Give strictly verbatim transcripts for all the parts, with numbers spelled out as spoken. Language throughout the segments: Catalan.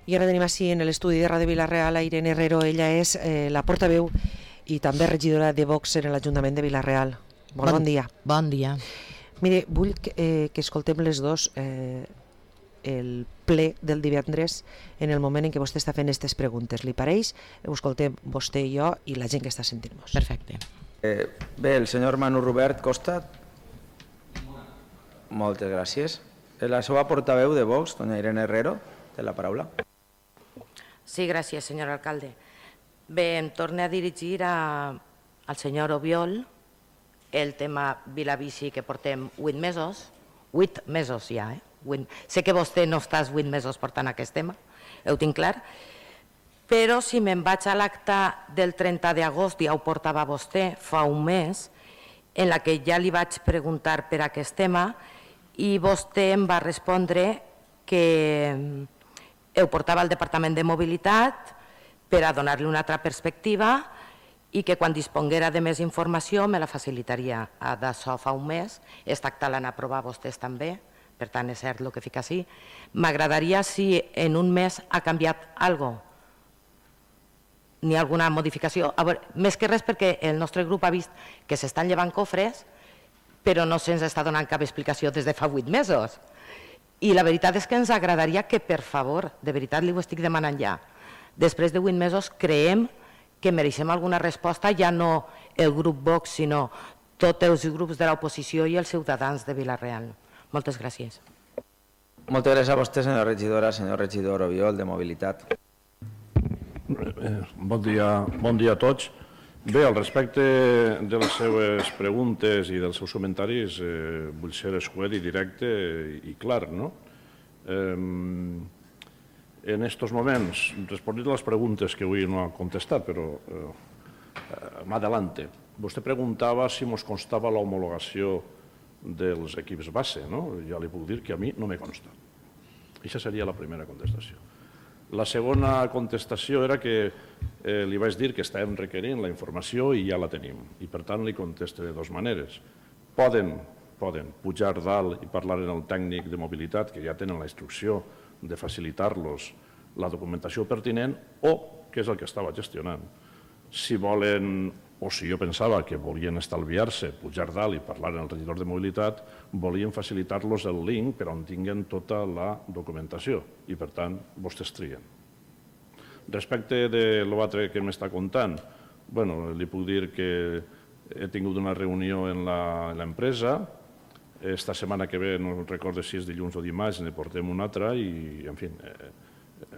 I ara tenim així en l'estudi de Ràdio Vila-real a Irene Herrero. Ella és eh, la portaveu i també regidora de Vox en l'Ajuntament de Vila-real. Bon, bon dia. Bon dia. Mire, vull que, eh, que escoltem les dos eh, el ple del divendres en el moment en què vostè està fent aquestes preguntes. Li pareix? Ho escoltem vostè i jo i la gent que està sentint-nos. Perfecte. Eh, bé, el senyor Manu Robert Costa. Moltes gràcies. La seva portaveu de Vox, doña Irene Herrero, té la paraula. Sí, gràcies, senyor alcalde. Bé, em torno a dirigir a, al senyor Obiol el tema Vilabici, que portem vuit mesos, vuit mesos ja, eh? vuit. Sé que vostè no estàs vuit mesos portant aquest tema, ho tinc clar, però si me'n vaig a l'acte del trenta d'agost, ja ho portava vostè fa un mes, en la que ja li vaig preguntar per aquest tema i vostè em va respondre que ho portava al Departament de Mobilitat per a donar-li una altra perspectiva i que quan disponguera de més informació me la facilitaria. D'això fa un mes, aquest acte l'han aprovat vostès també, per tant és cert el que fica així. M'agradaria si en un mes ha canviat alguna cosa, ni alguna modificació. A veure, més que res perquè el nostre grup ha vist que s'estan llevant cofres, però no se'ns està donant cap explicació des de fa vuit mesos. I la veritat és que ens agradaria que, per favor, de veritat li ho estic demanant ja, després de vuit mesos creiem que mereixem alguna resposta, ja no el grup Vox, sinó tots els grups de l'oposició i els ciutadans de Vila-real. Moltes gràcies. Moltes gràcies a vostè, senyora regidora, senyor regidor Obiol, de Mobilitat. Bon dia, bon dia a tots. Bé, al respecte de les seves preguntes i dels seus comentaris, eh, vull ser escuet i directe i clar, no? Eh, en estos moments, responent a les preguntes que avui no ha contestat, però eh, m'adelante. Vostè preguntava si mos constava l'homologació dels equips base, no? Ja li puc dir que a mi no me consta. Aquesta seria la primera contestació. La segona contestació era que eh, li vaig dir que estàvem requerint la informació i ja la tenim. I per tant li contesto de dues maneres. Poden, poden pujar dalt i parlar amb el tècnic de mobilitat, que ja tenen la instrucció de facilitar-los la documentació pertinent, o, que és el que estava gestionant, si volen, o si jo pensava que volien estalviar-se, pujar dalt i parlar amb el regidor de mobilitat, volien facilitar-los el link per on tinguen tota la documentació i, per tant, vostès trien. Respecte de l'altre que m'està contant, bueno, li puc dir que he tingut una reunió en l'empresa. Esta setmana que ve, no recordo si és dilluns o dimarts, ne portem una altra i, en fi,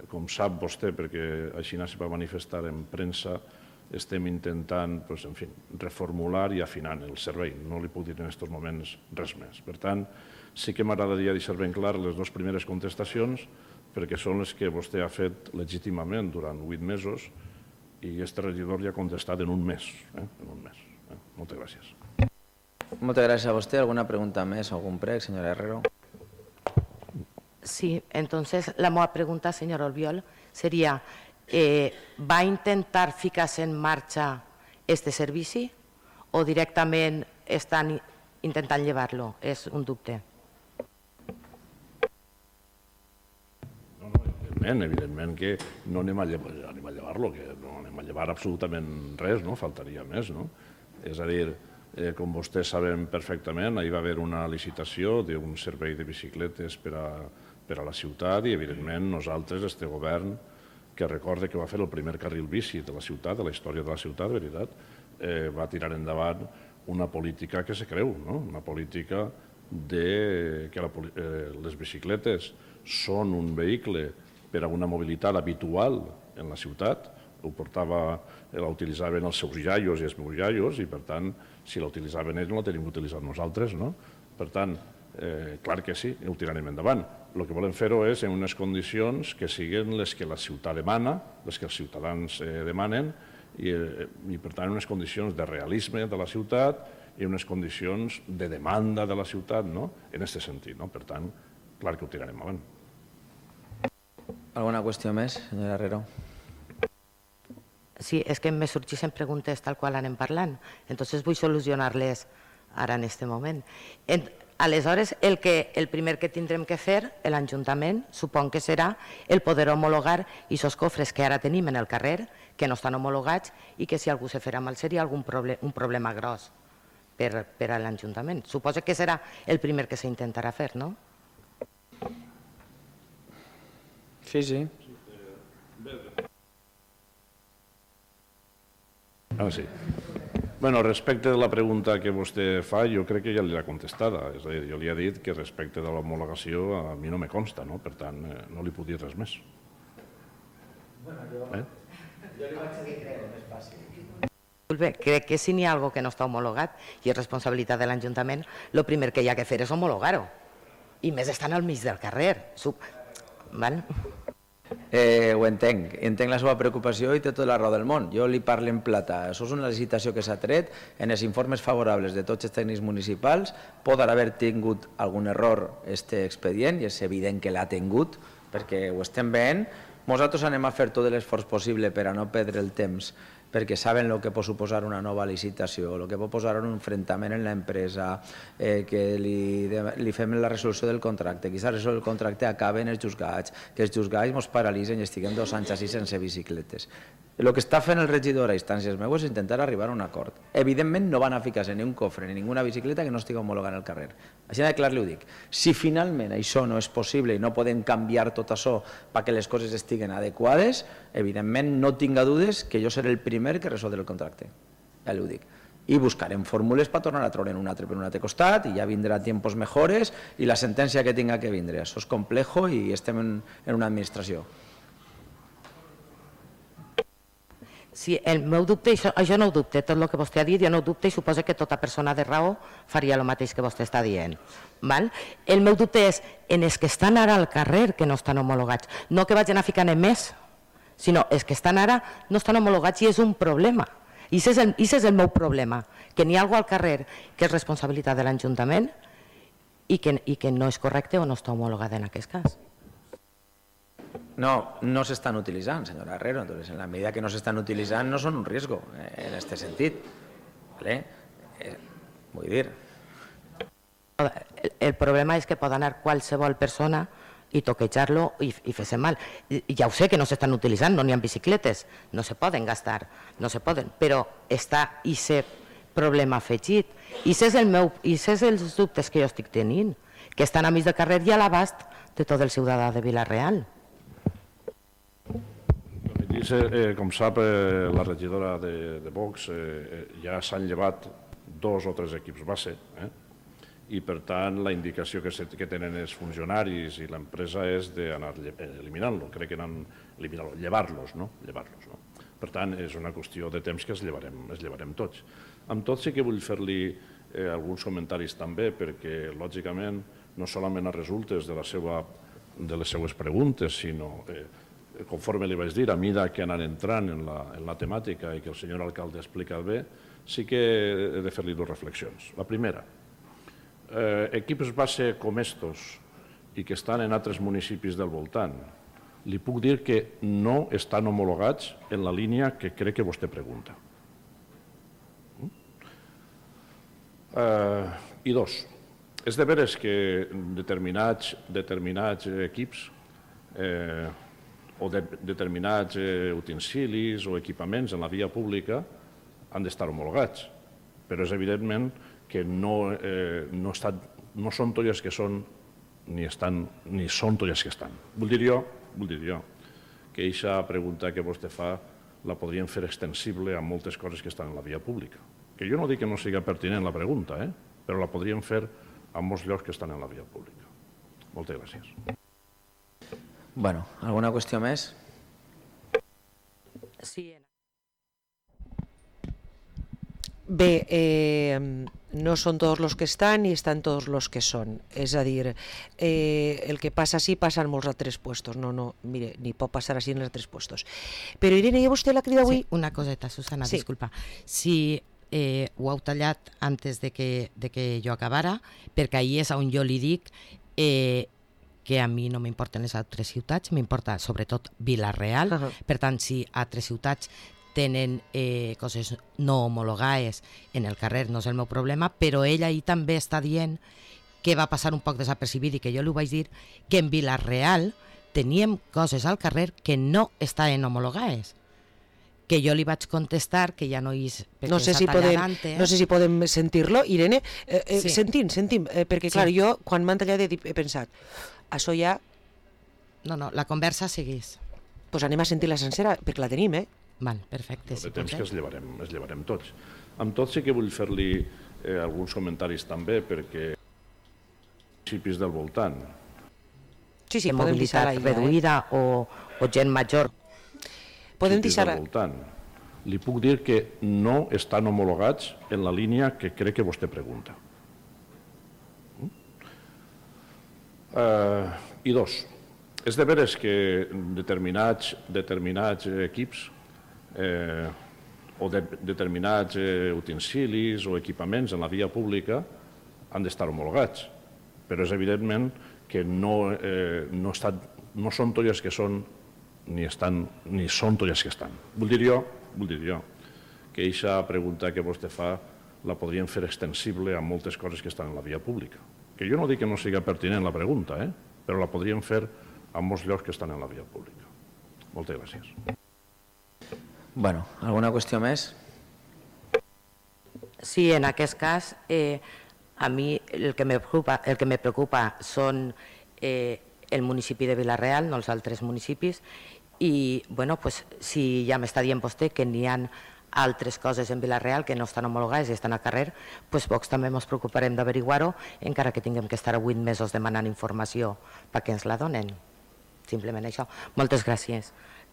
com sap vostè, perquè així se va manifestar en premsa, estem intentant, en fi, reformular i afinant el servei. No li puc dir en aquests moments res més. Per tant, sí que m'agradaria deixar ben clar les dues primeres contestacions, perquè són les que vostè ha fet legítimament durant vuit mesos i aquest regidor ja ha contestat en un mes. En un mes. Moltes gràcies. Moltes gràcies a vostè. ¿Alguna pregunta més o algun prec, senyora Herrero? Sí, entonces la meva pregunta, senyor Albiol, seria eh, ¿va intentar ficar-se en marxa este servici o directament estan intentant llevar-lo? És un dubte. Evidentment, evidentment que no anem a llevar-lo, que no anem a llevar absolutament res, no? Faltaria més, no? És a dir, eh, com vostès saben perfectament, hi va haver una licitació d'un servei de bicicletes per a, per a la ciutat i, evidentment, nosaltres, este govern, que recorde que va fer el primer carril bici de la ciutat, de la història de la ciutat, de veritat, eh, va tirar endavant una política que se creu, no? Una política de que la, eh, les bicicletes són un vehicle per a una mobilitat habitual en la ciutat, ho portava, la utilitzaven els seus iaios i els meus iaios i, per tant, si la utilitzaven ells, no la tenim utilitzat nosaltres, no? Per tant, eh, clar que sí, ho tirarem endavant. El que volem fer-ho és en unes condicions que siguin les que la ciutat demana, les que els ciutadans eh, demanen, i, eh, i per tant, en unes condicions de realisme de la ciutat i en unes condicions de demanda de la ciutat, no? En aquest sentit, no? Per tant, clar que ho tirarem avant. Alguna qüestió més, senyora Herrero? Sí, és que me sorgeixen preguntes tal qual anem parlant, entonces vull solucionar-les ara en aquest moment. Aleshores, el, que, el primer que tindrem que fer, l'Ajuntament, supon que serà el poder homologar aquests cofres que ara tenim en el carrer, que no estan homologats i que si algú se farà mal seria algun problem, un problema gros per, per a l'Ajuntament. Suposo que serà el primer que s'intentarà fer, no? Sí, sí. Ah, sí. Bueno, respecte de la pregunta que vostè fa, jo crec que ja li l'ha contestada. És a dir, jo li he dit que respecte de l'homologació a mi no me consta, no? Per tant, eh, no li puc dir res més. Eh? Jo li vaig dir que crec més fàcil. Bé, crec que si n'hi ha alguna que no està homologat i és responsabilitat de l'Ajuntament, el primer que hi ha que fer és homologar-ho. I més estan al mig del carrer. Sub... Val? Eh, ho entenc, entenc la seva preocupació i té tota la raó del món. Jo li parlo en plata. Això és una licitació que s'ha tret en els informes favorables de tots els tècnics municipals. Pot haver tingut algun error este expedient i és evident que l'ha tingut perquè ho estem veient. Nosaltres anem a fer tot l'esforç possible per a no perdre el temps perquè saben el que pot suposar una nova licitació, el que pot posar un enfrontament en l'empresa, eh, que li, li fem la resolució del contracte, que aquesta resolució del contracte acabi en els juzgats, que els juzgats ens paralitzen i estiguem dos anys així sense bicicletes. El que està fent el regidor a instàncies meues és intentar arribar a un acord. Evidentment no van a ficar-se ni un cofre ni ninguna bicicleta que no estigui homologant al carrer. Així de clar li ho dic. Si finalment això no és possible i no podem canviar tot això perquè les coses estiguen adequades, evidentment no tinga dudes que jo seré el primer que resoldre el contracte. Ja li ho dic. I buscarem fórmules per tornar a treure un altre per un altre costat i ja vindrà tiempos mejores i la sentència que tinga que vindre. Això és complejo i estem en, en una administració. Sí, el meu dubte, això, jo no ho dubte, tot el que vostè ha dit, jo no ho dubte i suposo que tota persona de raó faria el mateix que vostè està dient. Val? El meu dubte és en els que estan ara al carrer que no estan homologats, no que vagin a ficar més, sinó els que estan ara no estan homologats i és un problema. I això és el, és el meu problema, que n'hi ha alguna al carrer que és responsabilitat de l'Ajuntament i que, i que no és correcte o no està homologada en aquest cas. No, no s'estan utilitzant, senyora Herrero. Entonces, en la medida que no s'estan utilitzant no són un riesgo en aquest sentit. ¿Vale? Eh, vull dir... El, el problema és que pot anar qualsevol persona i toquejar-lo i, i fer-se mal. I, ja ho sé que no s'estan utilitzant, no n'hi ha bicicletes, no se poden gastar, no se poden, però està aquest problema afegit. I això és el meu, i això és els dubtes que jo estic tenint, que estan a mig del carrer i a l'abast de tot el ciutadà de Vila-real. Eh, com sap, eh, la regidora de, de Vox eh, ja s'han llevat dos o tres equips base eh? I per tant la indicació que, se, que tenen els funcionaris i l'empresa és d'anar eliminant-lo, crec que anaven eliminant-lo, llevar-los, no? Llevar-los, no? Per tant, és una qüestió de temps que es llevarem, es llevarem tots. Amb tot sí que vull fer-li eh, alguns comentaris també perquè, lògicament, no solament a resultes de, la seva, de les seues preguntes, sinó... Eh, conforme li vaig dir, a mida que anar entrant en la, en la temàtica i que el senyor alcalde ha explicat bé, sí que he de fer-li dues reflexions. La primera, eh, equips base com estos i que estan en altres municipis del voltant, li puc dir que no estan homologats en la línia que crec que vostè pregunta. Eh, I dos, és de veres que determinats, determinats equips eh, o de determinats eh, utensilis o equipaments en la via pública han d'estar homologats, però és evidentment que no, eh, no, estan, no són tolles que són ni, estan, ni són tolles que estan. Vull dir jo, vull dir jo que aquesta pregunta que vostè fa la podríem fer extensible a moltes coses que estan en la via pública. Que jo no dic que no sigui pertinent la pregunta, eh? Però la podríem fer a molts llocs que estan en la via pública. Moltes gràcies. Bueno, alguna qüestió més? Sí. Bé, eh, no són tots els que estan i estan tots els que són. És a dir, eh, el que passa així passa en molts altres puestos. No, no, mire, ni pot passar així en altres puestos. Però Irene, ja vostè la crida avui? Sí, una coseta, Susana, sí. Disculpa. Si eh, ho heu tallat antes de que, de que jo acabara, perquè ahir és on jo li dic eh, que a mi no m'importen les altres ciutats, m'importa sobretot Vila-real. Uh-huh. Per tant, si altres ciutats tenen eh, coses no homologades en el carrer, no és el meu problema, però ell ahir també està dient que va passar un poc desapercibit i que jo li ho vaig dir, que en Vila-real teníem coses al carrer que no estaven homologades. Que jo li vaig contestar que ja no és... No sé, si podem, no sé si podem sentir-lo, Irene. Eh, eh, sí. Sentim, sentim, eh, perquè clar, sí. jo quan m'han tallat he, he pensat, això ja... No, no, la conversa segueix. Doncs pues anem a sentir la sencera, perquè la tenim, eh? Val, perfecte. De temps que es llevarem, es llevarem tots. Amb tot sí que vull fer-li eh, alguns comentaris també, perquè municipis del voltant. Sí, sí, podem mobilitat reduïda eh? o, o gent major. Podem deixar... Li puc dir que no estan homologats en la línia que crec que vostè pregunta. Uh, I dos, és de veres que determinats, determinats equips eh, o de, determinats eh, utensilis o equipaments en la via pública han d'estar homologats, però és evidentment que no, eh, no, estan, no són tolles que són ni, estan, ni són tolles que estan. Vull dir jo, vull dir jo que aquesta pregunta que vostè fa la podríem fer extensible a moltes coses que estan en la via pública. Que jo no dic que no siga pertinent la pregunta, eh? però la podríem fer a molts llocs que estan en la via pública. Moltes gràcies. Bueno, alguna qüestió més? Sí, en aquest cas, eh, a mi el que me preocupa, el que me preocupa són eh, el municipi de Vila-real, no els altres municipis, i bueno, pues, si ja m'està dient vostè que n'hi ha altres coses en Vila-real que no estan homologades i estan al carrer, pues Vox també ens preocuparem d'averiguar-ho, encara que tinguem que estar vuit mesos demanant informació perquè ens la donen. Simplement això. Moltes gràcies.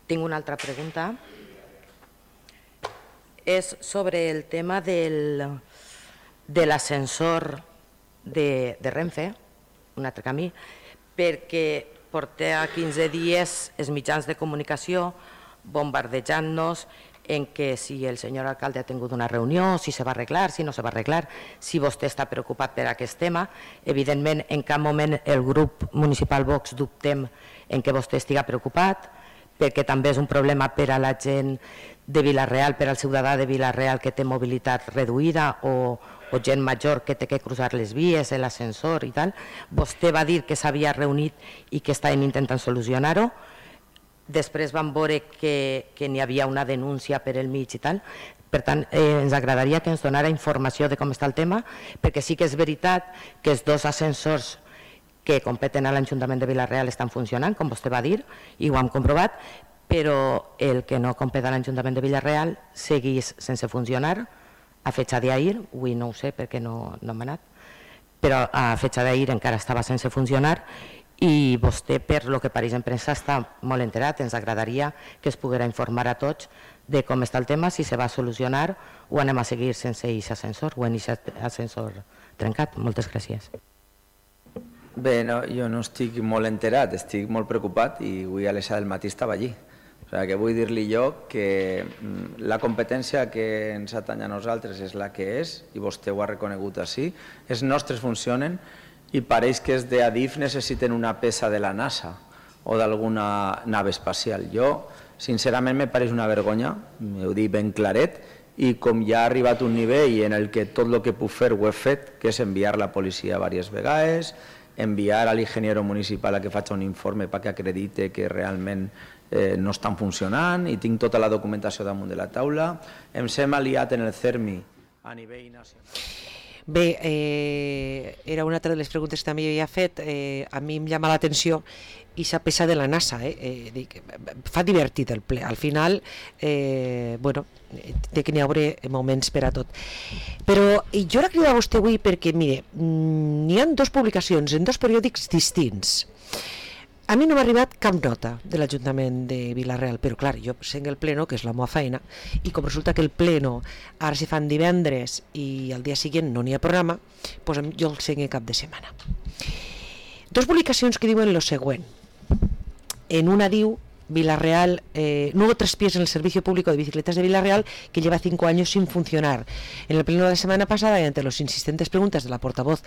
Tinc una altra pregunta. És sobre el tema del, de l'ascensor de, de Renfe, un altre camí, perquè porta quinze dies els mitjans de comunicació bombardejant-nos en que si el senyor alcalde ha tingut una reunió, si se va arreglar, si no se va arreglar, si vostè està preocupat per aquest tema. Evidentment, en cap moment el grup municipal Vox dubtem en què vostè estiga preocupat, perquè també és un problema per a la gent de Vila-real, per al ciutadà de Vila-real que té mobilitat reduïda o, o gent major que té que cruzar les vies, l'ascensor i tal. Vostè va dir que s'havia reunit i que estaven intentant solucionar-ho. Després vam veure que, que n'hi havia una denúncia per el mig i tal. Per tant, eh, ens agradaria que ens donara informació de com està el tema, perquè sí que és veritat que els dos ascensors que competen a l'Ajuntament de Vila-real estan funcionant, com vostè va dir, i ho hem comprovat, però el que no competa a l'Ajuntament de Vila-real segueix sense funcionar. A fecha d'ahir, avui no ho sé perquè no, no hem anat, però a fecha d'ahir encara estava sense funcionar i vostè, per lo que pareix en premsa, està molt enterat. Ens agradaria que es poguera informar a tots de com està el tema, si se va solucionar o anem a seguir sense aquest ascensor o en aquest ascensor trencat. Moltes gràcies. Bé, no, jo no estic molt enterat, estic molt preocupat i avui a les set del matí estava allí. O sigui, que vull dir-li jo que la competència que ens atanya a nosaltres és la que és, i vostè ho ha reconegut així, els nostres funcionen i pareix que els d'Adif necessiten una peça de la NASA o d'alguna nave espacial. Jo, sincerament, me pareix una vergonya, ho dic ben claret, i com ja ha arribat un nivell en el que tot el que puc fer ho he fet, que és enviar la policia diverses vegades, enviar a l'ingeniero municipal a que faci un informe perquè acredite que realment eh, no estan funcionant, i tinc tota la documentació damunt de la taula. Ens hem aliat en el CERMI a nivell nacional. Bé, eh, era una altra de les preguntes que també jo havia fet. Eh, a mi em llama l'atenció i s'ha peça de la NASA, eh? Eh, dic, fa divertit el ple, al final eh, bueno, té que n'hi haurà moments per a tot. Però jo la cridava a vostè avui perquè, mire, n'hi ha dues publicacions en dos periòdics distints. A mi no m'ha arribat cap nota de l'Ajuntament de Vila-real, però clar, jo senc el pleno, que és la meva feina, i com resulta que el pleno ara se fan divendres i al dia següent no n'hi ha programa, doncs jo el senc cap de setmana. Dos publicacions que diuen lo següent. En una diu Vila-real, eh, nuevo traspiés en el servicio público de bicicletas de Vila-real que lleva cinco años sin funcionar. En el pleno de la semana pasada, y ante las insistentes preguntas de la portavoz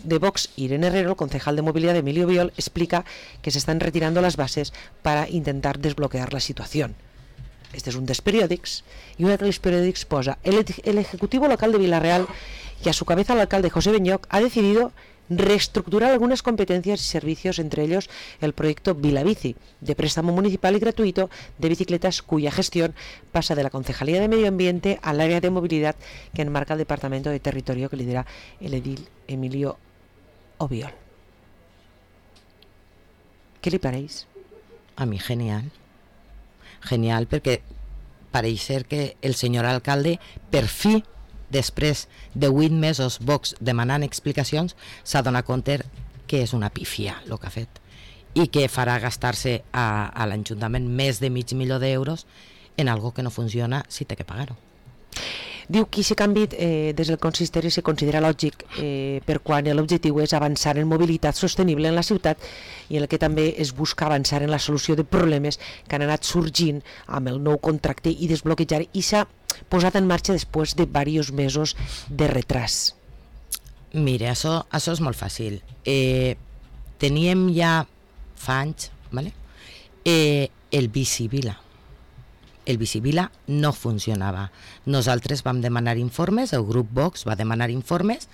de Vox, Irene Herrero, el concejal de movilidad Emilio Biol, explica que se están retirando las bases para intentar desbloquear la situación. Este es un dels periòdics, y un altre dels periòdics posa: el, el Ejecutivo Local de Vila-real y a su cabeza el alcalde José Benyoc ha decidido reestructurar algunas competencias y servicios, entre ellos el proyecto Vilabici, de préstamo municipal y gratuito de bicicletas, cuya gestión pasa de la Concejalía de Medio Ambiente al área de movilidad que enmarca el Departamento de Territorio que lidera el edil Emilio Obiol. ¿Qué le pareix? A mi genial. Genial, perquè pareix ser que el senyor alcalde, per fi, després de vuit mesos Vox demanant explicacions, s'ha donat compte que és una pífia el que ha fet i que farà gastar-se a, a l'Ajuntament més de mig milió d'euros en algo que no funciona si té que pagar-ho. Diu que aquest canvi eh, des del consistori se considera lògic eh, per quan l'objectiu és avançar en mobilitat sostenible en la ciutat i en el que també es busca avançar en la solució de problemes que han anat sorgint amb el nou contracte i desbloquejar, i s'ha posat en marxa després de diversos mesos de retras. Mira, això, això és molt fàcil. Eh, teníem ja fa anys, ¿vale? eh, el Bicivila. El Bicivila no funcionava. Nosaltres vam demanar informes, el grup Vox va demanar informes,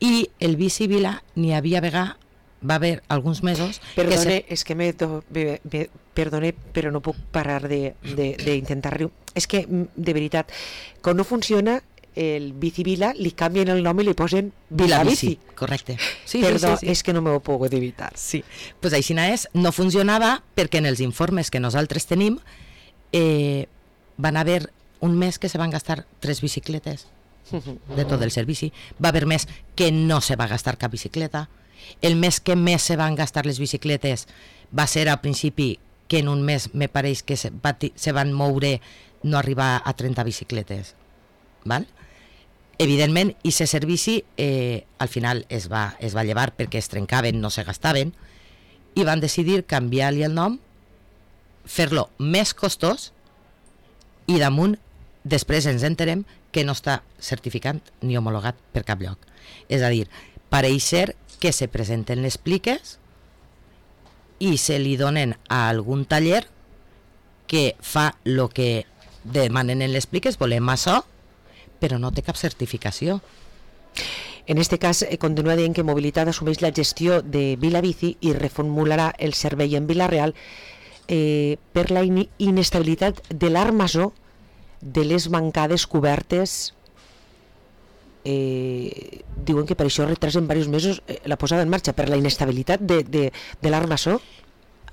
i el Bicivila n'hi havia vegà, va haver alguns mesos... Perdone, que se... és que me, me, me, perdone, però no puc parar d'intentar riure. És que, de veritat, quan no funciona el Bicivila, li canvien el nom i li posen Vilabici. Correcte. Sí, Perdó, sí, sí, sí. és que no m'ho puc evitar. Sí, pues així és, no funcionava perquè en els informes que nosaltres tenim Eh, van haver un mes que se van gastar tres bicicletes de tot el servici, va haver mes que no se va gastar cap bicicleta, el mes que més se van gastar les bicicletes va ser al principi, que en un mes me pareix que se, va, se van moure no arribar a trenta bicicletes, val? Evidentment, i ese servici eh, al final es va, es va llevar perquè es trencaven, no se gastaven, i van decidir canviar-li el nom, fer-lo més costós, i damunt després ens enterem que no està certificat ni homologat per cap lloc. És a dir, pareix ser que se presenten les pliques i se li donen a algun taller que fa el que demanen en les pliques, volem això, però no té cap certificació. En este cas, eh, continua dient que Mobilitat assumeix la gestió de Vilabici i reformularà el servei en Vila-real Eh, per la in inestabilitat de l'armazó de les bancades cobertes. Eh, diuen que per això retrasen diversos mesos eh, la posada en marxa, per la inestabilitat de, de, de l'armazó.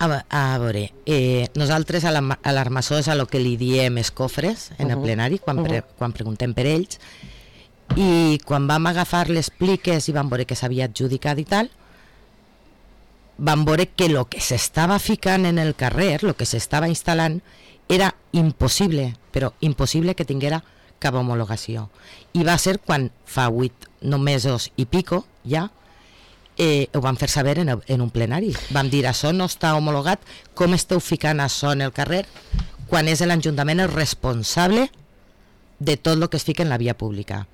A, a veure, eh, nosaltres a l'armazó és a lo que li diem escofres en el plenari, quan, pre quan preguntem per ells, i quan vam agafar les pliques i vam veure que s'havia adjudicat i tal, van veure que el que s'estava ficant en el carrer, el que s'estava instal·lant, era impossible, però impossible que tinguera cap homologació. I va ser quan fa vuit no mesos i pico, ja, eh, ho van fer saber en, en un plenari. Vam dir, això no està homologat, com esteu ficant això en el carrer, quan és l'Ajuntament el responsable de tot el que es fica en la via pública.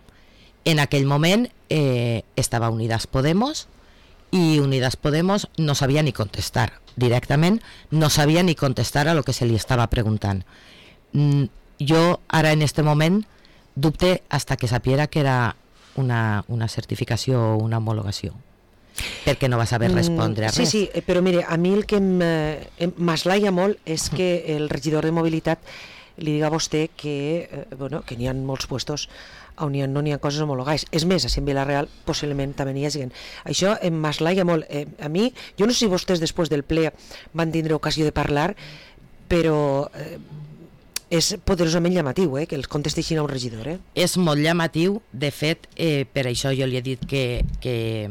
En aquell moment eh, estava Unidas Podemos, i Unidas Podemos no sabia ni contestar directament, no sabia ni contestar a lo que se li estava preguntant. Mm, jo ara en este moment dubte hasta que sapiera que era una, una certificació o una homologació, perquè no va saber respondre a res. Sí, sí, però mire, a mi el que m'aslaia molt és que el regidor de Mobilitat li diga a vostè que, eh, bueno, que n'hi ha molts puestos on ha, no n'hi ha coses homologades. És més, a Vila-real possiblement també n'hi hagi. Això em m'aslaia molt. Eh, a mi, jo no sé si vostès després del ple van tindre ocasió de parlar, però eh, és poderosament llamatiu, eh, que els contesteixin a un regidor. Eh? És molt llamatiu, de fet, eh, per això jo li he dit que, que,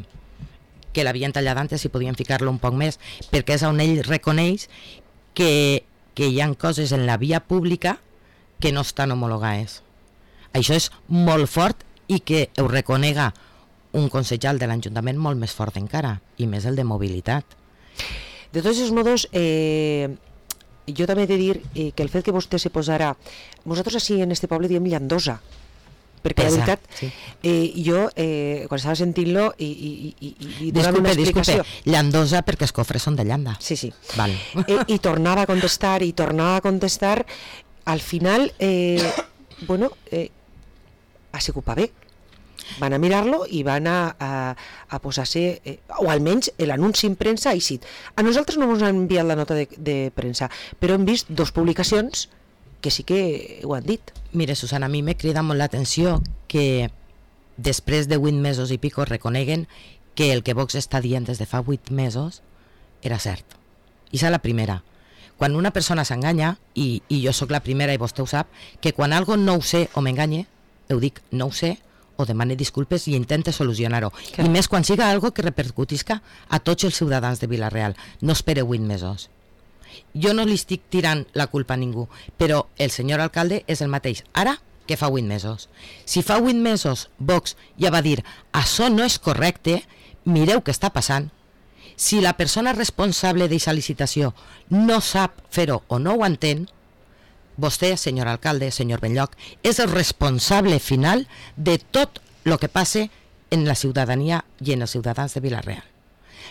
que l'havien tallat antes i podien ficar-lo un poc més, perquè és on ell reconeix que, que hi ha coses en la via pública que no estan homologades. Això és molt fort i que ho reconega un consellal de l'Ajuntament molt més fort encara, i més el de mobilitat. De tots els modos, eh, jo també he de dir eh, que el fet que vostè se posara... Nosaltres així en este poble diem llandosa, perquè Pesa, la veritat, sí. eh, jo, eh, quan estava sentint-lo i, i, i, i donava disculpe, una explicació... Disculpe, llandosa perquè els cofres són de llanda. Sí, sí. Val. Eh, I tornava a contestar, i tornava a contestar. Al final, eh, bueno, eh, ha sigut pa bé. van a mirar-lo i van a, a, a posar-se, eh, o almenys l'anunci en premsa ha eixit. A nosaltres no ens han enviat la nota de, de premsa, però hem vist dos publicacions que sí que ho han dit. Mire, Susana, a mi me crida molt l'atenció que després de vuit mesos i pico reconeguen que el que Vox està dient des de fa vuit mesos era cert. I és la primera. Quan una persona s'enganya, i, i jo sóc la primera i vostè ho sap, que quan algo no ho sé o m'enganye, ho dic no ho sé, o demane disculpes i intente solucionar-ho. I més quan siga algo que repercutisca a tots els ciutadans de Vila-real. No espere vuit mesos. Jo no li estic tirant la culpa a ningú, però el senyor alcalde és el mateix ara que fa vuit mesos. Si fa vuit mesos Vox ja va dir això no és correcte, mireu què està passant. Si la persona responsable d'aquesta licitació no sap fer-ho o no ho entén, vostè, senyor alcalde, senyor Benlloc, és el responsable final de tot el que passe en la ciutadania i en els ciutadans de Vila-real.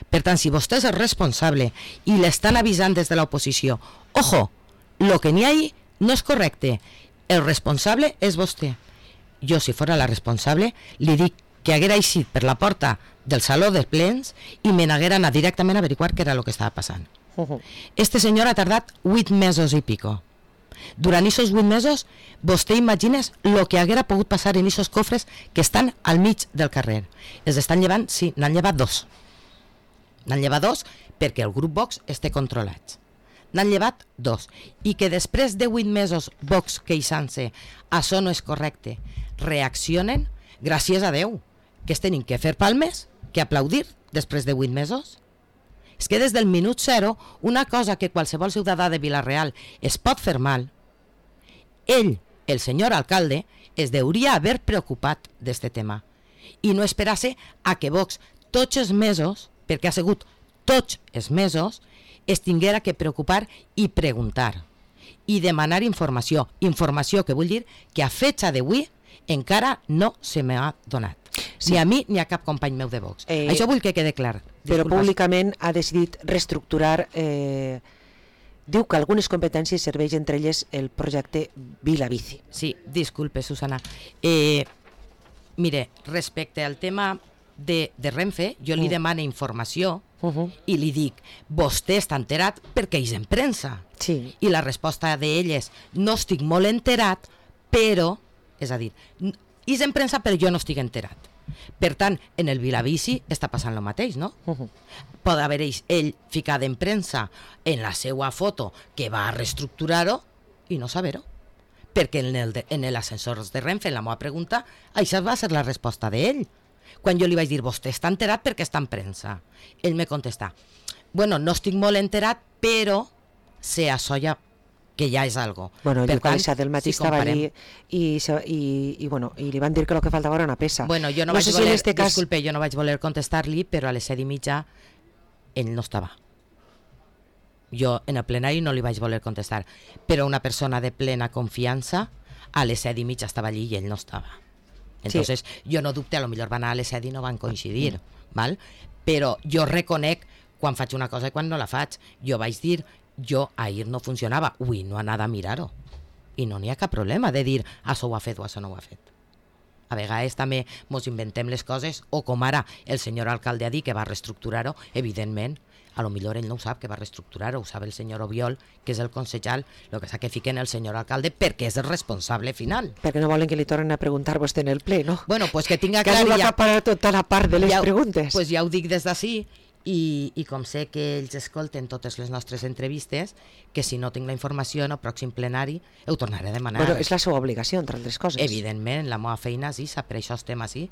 Per tant, si vostè és el responsable i l'estan avisant des de l'oposició, ojo, lo que n'hi ha ahí no és correcte, el responsable és vostè. Jo, si fora la responsable, li dic que haguera eixit per la porta del saló de plens i me n'haguera anat directament a averiguar què era el que estava passant. Este senyor ha tardat vuit mesos i pico. Durant aquests vuit mesos, vostè imagines el que haguera pogut passar en aquests cofres que estan al mig del carrer. Els estan llevant, sí, n'han llevat dos. N'han llevat dos perquè el grup Vox està controlat. N'han llevat dos. I que després de vuit mesos Vox queixant-se, això no és correcte, reaccionen, gràcies a Déu, que es tenen que fer palmes, que aplaudir després de vuit mesos. És que des del minut zero, una cosa que qualsevol ciutadà de Vila-real es pot fer mal, ell, el senyor alcalde, es deuria haver preocupat d'este tema i no esperar-se a que Vox tots els mesos, perquè ha sigut tots els mesos, es tinguera que preocupar i preguntar i demanar informació. Informació que vull dir que a fecha d'avui encara no se m'ha donat. Sí. Ni a mi ni a cap company meu de Vox. Eh, Això vull que quede clar. Però públicament ha decidit reestructurar, eh, diu que algunes competències serveix entre elles el projecte Vila Bici. Sí, disculpe, Susana. Eh, mire, respecte al tema de, de Renfe, jo li uh. demano informació uh -huh. i li dic, vostè està enterat perquè és en premsa. Sí. I la resposta d'ell és, no estic molt enterat, però, és a dir, és en premsa però jo no estic enterat. Per tant, en el Vilabici està passant el mateix, no? Uh -huh. Pot haver ell ficat en premsa en la seva foto que va a reestructurar-ho i no saber-ho. Perquè en el de, en l'ascensor de Renfe, en la meva pregunta, això va ser la resposta d'ell. Quan jo li vaig dir, vostè està enterat perquè està en premsa. Ell me contesta, bueno, no estic molt enterat, però sé això ja que ja és algo. Bueno, el Lluc del matí si estava allí i, i, i, bueno, i li van dir que el que faltava era una peça. Bueno, jo no, no vaig sé voler, si este cas... disculpe, jo no vaig voler contestar-li, però a les set i mitja ell no estava. Jo en el plenari no li vaig voler contestar, però una persona de plena confiança a les set i mitja estava allí i ell no estava. Entonces, sí. Jo no dubte, a lo millor van anar a les set i no van coincidir, mm. val? Però jo reconec quan faig una cosa i quan no la faig. Jo vaig dir, jo ahir no funcionava, ui, no anava a mirar-ho. I no n'hi ha cap problema de dir, això ho ha fet o això no ho ha fet. A vegades també mos inventem les coses, o com ara el senyor alcalde ha dit que va reestructurar-ho, evidentment, a lo millor ell no ho sap que va reestructurar-ho, ho sap el senyor Obiol, que és el consellal, el que s'ha que fiquen el senyor alcalde perquè és el responsable final. Perquè no volen que li tornen a preguntar vostè en el ple, no? Bueno, pues que tinga clar... Que ja, acaparar tota la part de les ja, preguntes. Pues ja ho dic des d'ací, i, i com sé que ells escolten totes les nostres entrevistes, que si no tinc la informació en el pròxim plenari ho tornaré a demanar. Bueno, és la seva obligació, entre altres coses. Evidentment, la meva feina sí, sap, per això estem així,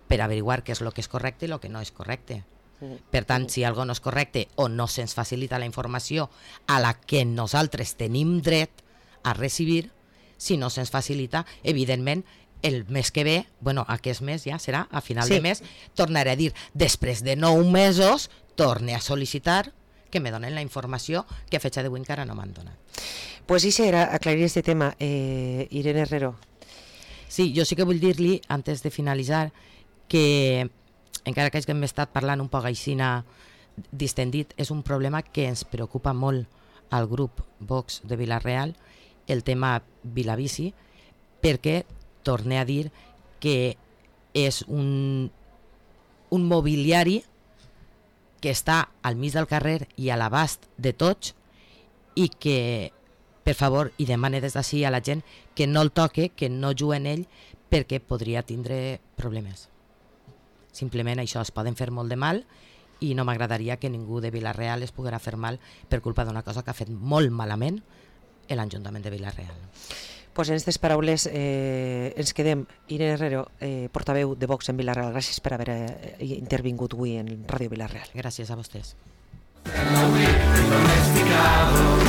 per averiguar què és el que és correcte i el que no és correcte. Per tant, si algo no és correcte o no se'ns facilita la informació a la que nosaltres tenim dret a recibir, si no se'ns facilita, evidentment, el mes que ve, bueno, aquest mes ja serà, a final sí. de mes, tornaré a dir, després de nou mesos, torne a sol·licitar que me donen la informació que a fecha d'avui encara no m'han donat. Pues sí, serà aclarir este tema. Eh, Irene Herrero. Sí, jo sí que vull dir-li, antes de finalitzar, que encara que hem estat parlant un poc aixina distendit, és un problema que ens preocupa molt al grup Vox de Vila-real, el tema Vilabici, perquè torne a dir que és un, un mobiliari que està al mig del carrer i a l'abast de tots i que, per favor, i demane des d'ací a la gent que no el toque, que no jugui en ell, perquè podria tindre problemes. Simplement això, es poden fer molt de mal i no m'agradaria que ningú de Vila-real es poguera fer mal per culpa d'una cosa que ha fet molt malament l'Ajuntament de Vila-real. Pues en aquestes paraules eh, ens quedem. Irene Herrero, eh, portaveu de Vox en Vila-real, gràcies per haver eh, intervingut avui en Ràdio Vila-real. Gràcies a vostès. Domesticado.